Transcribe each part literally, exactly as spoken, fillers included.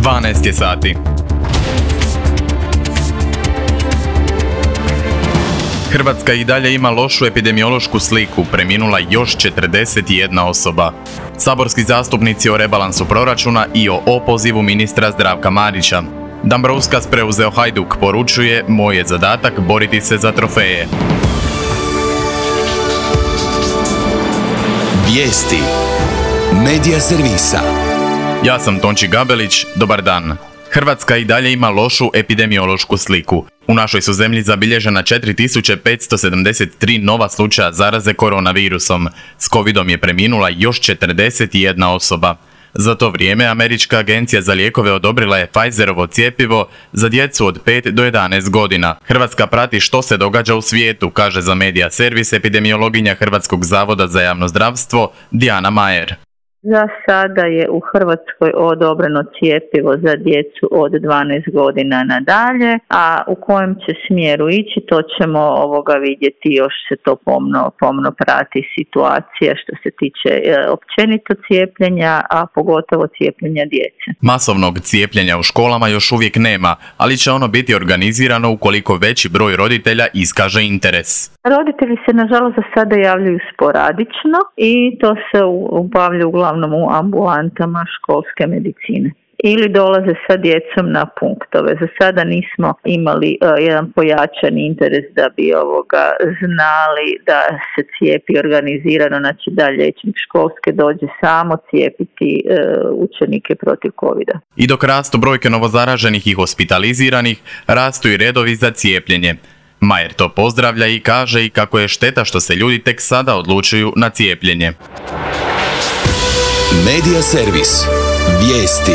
dvanaest je sati. Hrvatska i dalje ima lošu epidemiološku sliku, preminula još četrdeset jedna osoba. Saborski zastupnici o rebalansu proračuna i o opozivu ministra Zdravka Marića. Dambrovskas preuzeo Hajduk, poručuje: moj je zadatak boriti se za trofeje. Vijesti Medija servisa. Ja sam Tonči Gabelić, dobar dan. Hrvatska i dalje ima lošu epidemiološku sliku. U našoj su zemlji zabilježena četiri tisuće petsto sedamdeset tri nova slučaja zaraze koronavirusom. S covidom je preminula još četrdeset jedna osoba. Za to vrijeme Američka agencija za lijekove odobrila je Pfizerovo cjepivo za djecu od pet do jedanaest godina. Hrvatska prati što se događa u svijetu, kaže za Medija servis epidemiologinja Hrvatskog zavoda za javno zdravstvo Dijana Majer. Za sada je u Hrvatskoj odobreno cjepivo za djecu od dvanaest godina nadalje, a u kojem će smjeru ići, to ćemo ovoga vidjeti, još se to pomno, pomno prati situacija što se tiče e, općenito cijepljenja, a pogotovo cijepljenja djece. Masovnog cijepljenja u školama još uvijek nema, ali će ono biti organizirano ukoliko veći broj roditelja iskaže interes. Roditelji se nažalost za sada javljaju sporadično i to se obavlja uglavnom u ambulantama školske medicine. Ili dolaze sa djecom na punktove. Za sada nismo imali uh, jedan pojačan interes da bi ovoga znali da se cijepi organizirano, znači da liječnik školske dođe samo cijepiti uh, učenike protiv covida. I dok rastu brojke novozaraženih i hospitaliziranih, rastu i redovi za cijepljenje. Majer to pozdravlja i kaže i kako je šteta što se ljudi tek sada odlučuju na cijepljenje. Medija servis. Vijesti.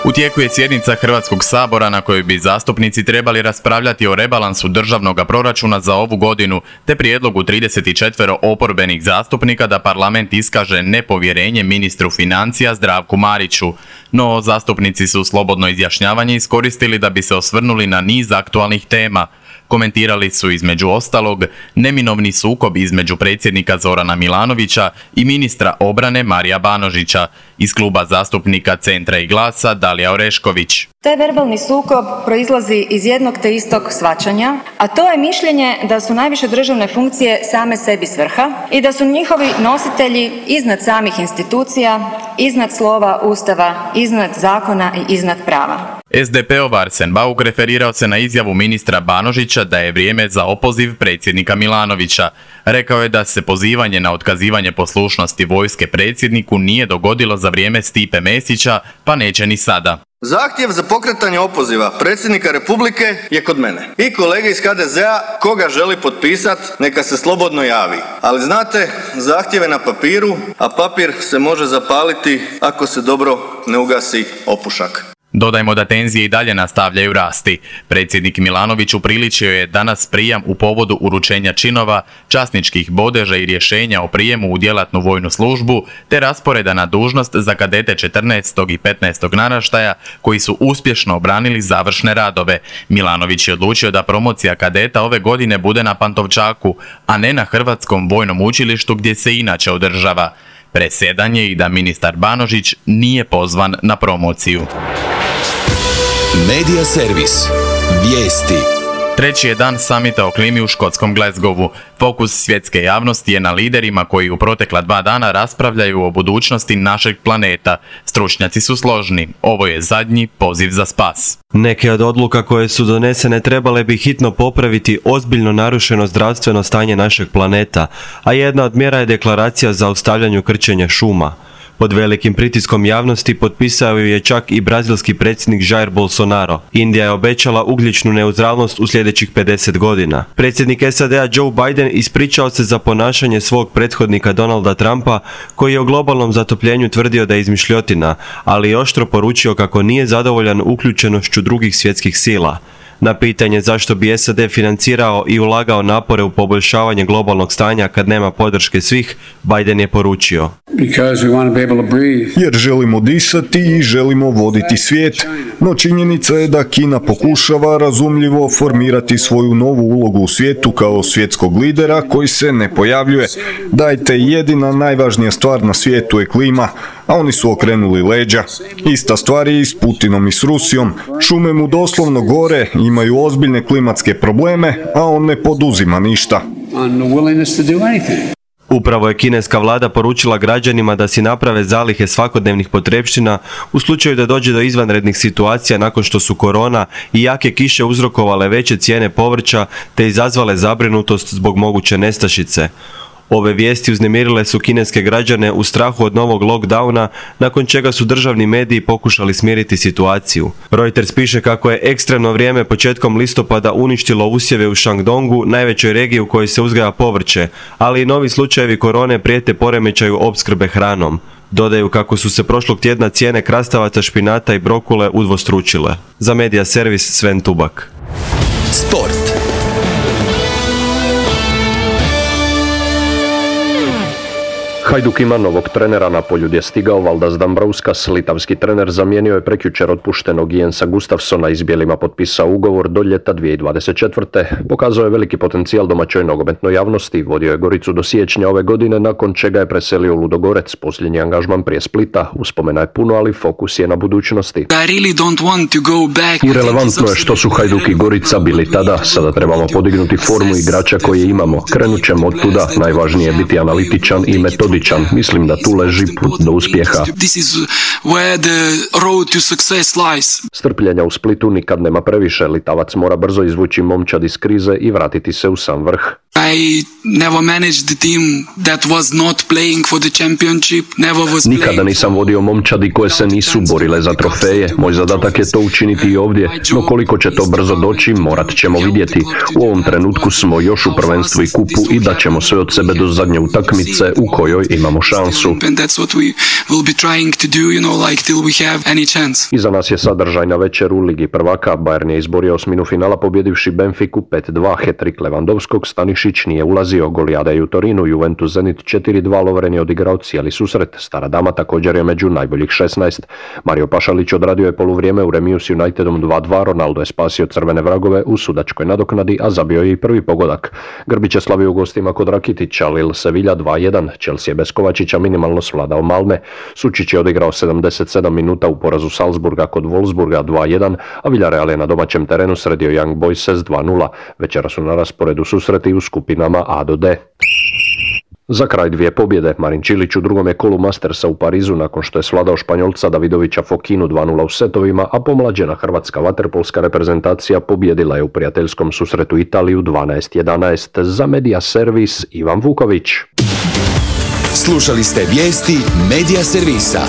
U tijeku je sjednica Hrvatskog sabora na kojoj bi zastupnici trebali raspravljati o rebalansu državnog proračuna za ovu godinu, te prijedlogu trideset četiri oporbenih zastupnika da parlament iskaže nepovjerenje ministru financija Zdravku Mariću. No, zastupnici su slobodno izjašnjavanje iskoristili da bi se osvrnuli na niz aktualnih tema. Komentirali su između ostalog neminovni sukob između predsjednika Zorana Milanovića i ministra obrane Marija Banožića, iz kluba zastupnika Centra i Glasa Dalija Orešković. Taj verbalni sukob proizlazi iz jednog te istog shvaćanja, a to je mišljenje da su najviše državne funkcije same sebi svrha i da su njihovi nositelji iznad samih institucija, iznad slova Ustava, iznad zakona i iznad prava. es de pe-ov Arsen Bauk referirao se na izjavu ministra Banožića da je vrijeme za opoziv predsjednika Milanovića. Rekao je da se pozivanje na otkazivanje poslušnosti vojske predsjedniku nije dogodilo za vrijeme Stipe Mesića, pa neće ni sada. Zahtjev za pokretanje opoziva predsjednika Republike je kod mene. I kolege iz ha de zea, koga želi potpisat, neka se slobodno javi. Ali znate, zahtjev je na papiru, a papir se može zapaliti ako se dobro ne ugasi opušak. Dodajmo da tenzije i dalje nastavljaju rasti. Predsjednik Milanović upriličio je danas prijam u povodu uručenja činova, časničkih bodeža i rješenja o prijemu u djelatnu vojnu službu, te rasporeda na dužnost za kadete četrnaestog i petnaestog naraštaja koji su uspješno obranili završne radove. Milanović je odlučio da promocija kadeta ove godine bude na Pantovčaku, a ne na Hrvatskom vojnom učilištu gdje se inače održava. Presedan je i da ministar Banožić nije pozvan na promociju. Medija servis. Vijesti. Treći je dan samita o klimi u škotskom Glasgowu. Fokus svjetske javnosti je na liderima koji u protekla dva dana raspravljaju o budućnosti našeg planeta. Stručnjaci su složni. Ovo je zadnji poziv za spas. Neke od odluka koje su donesene trebale bi hitno popraviti ozbiljno narušeno zdravstveno stanje našeg planeta, a jedna od mjera je deklaracija za zaustavljanju krčenja šuma. Pod velikim pritiskom javnosti potpisao ju je čak i brazilski predsjednik Jair Bolsonaro. Indija je obećala ugljičnu neutralnost u sljedećih pedeset godina. Predsjednik es a de a Joe Biden ispričao se za ponašanje svog prethodnika Donalda Trumpa, koji je o globalnom zatopljenju tvrdio da je izmišljotina, ali je oštro poručio kako nije zadovoljan uključenošću drugih svjetskih sila. Na pitanje zašto bi S A D financirao i ulagao napore u poboljšavanje globalnog stanja kad nema podrške svih, Biden je poručio: Jer želimo disati i želimo voditi svijet, no činjenica je da Kina pokušava razumljivo formirati svoju novu ulogu u svijetu kao svjetskog lidera koji se ne pojavljuje. Dajte, jedina najvažnija stvar na svijetu je klima, a oni su okrenuli leđa. Ista stvar je i s Putinom i s Rusijom. Šume mu doslovno gore, imaju ozbiljne klimatske probleme, a on ne poduzima ništa. Upravo je kineska vlada poručila građanima da si naprave zalihe svakodnevnih potrepština u slučaju da dođe do izvanrednih situacija nakon što su korona i jake kiše uzrokovale veće cijene povrća te izazvale zabrinutost zbog moguće nestašice. Ove vijesti uznemirile su kineske građane u strahu od novog lockdowna, nakon čega su državni mediji pokušali smiriti situaciju. Reuters piše kako je ekstremno vrijeme početkom listopada uništilo usjeve u Shandongu, najvećoj regiji u kojoj se uzgaja povrće, ali i novi slučajevi korone prijete poremećaju opskrbe hranom. Dodaju kako su se prošlog tjedna cijene krastavaca, špinata i brokule udvostručile. Za Media Servis Sven Tubak. Sport. Hajduk ima novog trenera, na Poljud je stigao Valdas Dambrauskas, litavski trener zamijenio je prekjučer otpuštenog Jensa Gustafsona i s bijelima potpisao ugovor do ljeta dvije tisuće dvadeset četvrte. Pokazao je veliki potencijal domaćoj nogometnoj javnosti, vodio je Goricu do siječnja ove godine, nakon čega je preselio u Ludogorec, posljednji angažman prije Splita. Uspomena je puno, ali fokus je na budućnosti. I relevantno je što su Hajduk i Gorica bili tada, sada trebamo podignuti formu igrača koje imamo. Krenut ćemo od tuda, najvažnije je biti analitičan i metodičan. Mislim da tu leži put do uspjeha. Strpljenja u Splitu nikad nema previše, Litavac mora brzo izvući momčad iz krize i vratiti se u sam vrh. Nikada nisam vodio momčadi koje se nisu borile za trofeje. Moj zadatak je to učiniti i ovdje, no koliko će to brzo doći, morat ćemo vidjeti. U ovom trenutku smo još u prvenstvu i kupu i dat ćemo sve od sebe do zadnje utakmice u kojoj imamo šansu. Iza nas je sadržajna večer u Ligi prvaka. Bayern je izborio osminu finala pobjedivši Benfiku pet dva, hat-trick Lewandowskog, Stanišić nije ulazio, Golijada je u Torinu, Juventus Zenit četiri dva, Lovren je odigrao cijeli susret, Stara Dama također je među najboljih šesnaest. Mario Pašalić odradio je poluvrijeme u remiju s Unitedom dva dva, Ronaldo je spasio crvene vragove u sudačkoj nadoknadi, a zabio je i prvi pogodak. Grbić je slavio u gostima kod Rakitića, Lille Sevilla dva jedan, Chelsea je bez Kovačića minimalno svladao Malme, Sučić je odigrao sedamdeset sedam minuta u porazu Salzburga kod Wolfsburga dva jedan, a Villarreal je na domaćem terenu sredio Young Boyses dva nula. Večera su na rasporedu susreti u skupinama A do D. Za kraj dvije pobjede. Marin Čilić u drugom je kolu Mastersa u Parizu nakon što je svladao Španjolca Davidovića Fokinu dva nula u setovima, a pomlađena hrvatska vaterpolska reprezentacija pobjedila je u prijateljskom susretu Italiju dvanaest jedanaest. Za Media Servis Ivan Vuković. Slušali ste vijesti Media Servisa.